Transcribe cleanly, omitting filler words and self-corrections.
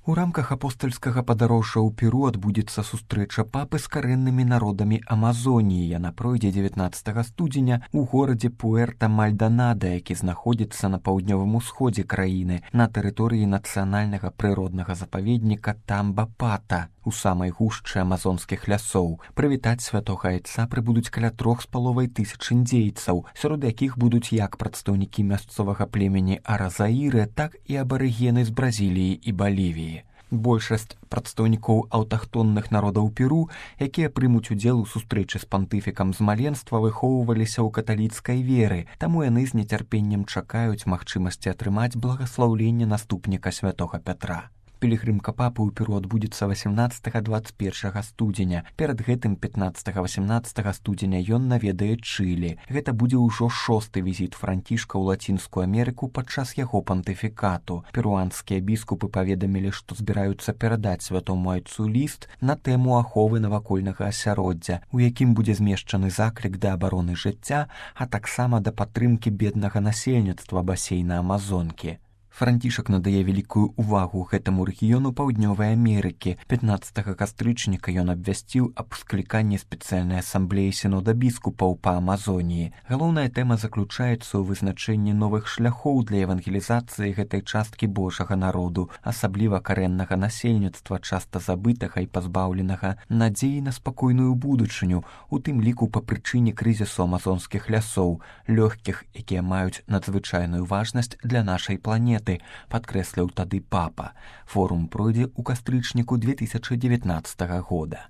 У рамках апостальскага падарожжа ў Перу адбудзецца сустрэча папы з карэннымі народамі Амазоніі. Яна пройдзе 19 студзеня ў горадзе Пуэрта-Мальданада, які знаходзіцца на паўднёвым усходзе краіны, на тэрыторыі нацыянальнага прыроднага запаведніка Тамбапата, у самай гушчы амазонскіх лясоў. Прывітаць святога айца прыбудуць каля 3500 індзейцаў, сярод якіх будуць як прадстаўнікі мясцовага племені Аразаіры, так і абарыгены з Бразіліі і Балівіі. Большасць прадстаўнікоў аўтахтонных народаў Перу, якія прымуць удзел у сустрэчы з пантыфікам з маленства, выхоўваліся ў каталіцкай веры, таму яны з нецярпеннем чакаюць магчымасці атрымаць благаслаўленне наступніка святога Пятра. Пілігрымка папы ў Перу адбудзецца 18-21 студзеня. Перад гэтым 15-18 студзеня ён наведае Чылі. Гэта будзе ўжо 6-ты візіт Францішка ў Лацінскую Амерыку падчас яго пантыфікату. Перуанскія біскупы паведамілі, што збіраюцца перадаць святому айцу ліст на тэму аховы навакольнага асяроддзя, у якім будзе змешчаны заклік да абароны жыцця, а таксама да падтрымкі беднага насельніцтва басейна Амазонкі. Францішак надае вялікую ўвагу гэтаму рэгіёну Паўднёвай Амерыкі. 15 кастрычніка ён абвясціў аб скліканні спецыяльнай асамблеі сінода біскупаў па Амазоніі. Галоўная тэма заключаецца ў вызначэнні новых шляхоў для евангелізацыі гэтай часткі Божага народу, асабліва карэннага насельніцтва, часта забытага і пазбаўленага надзеі на спакойную будучыню, у тым ліку па прычыне крызісу амазонскіх лясоў, лёгкіх, якія маюць надзвычайную важнасць для нашай планеты, падкрэсліў тады папа. Форум пройдзе ў кастрычніку 2019 года.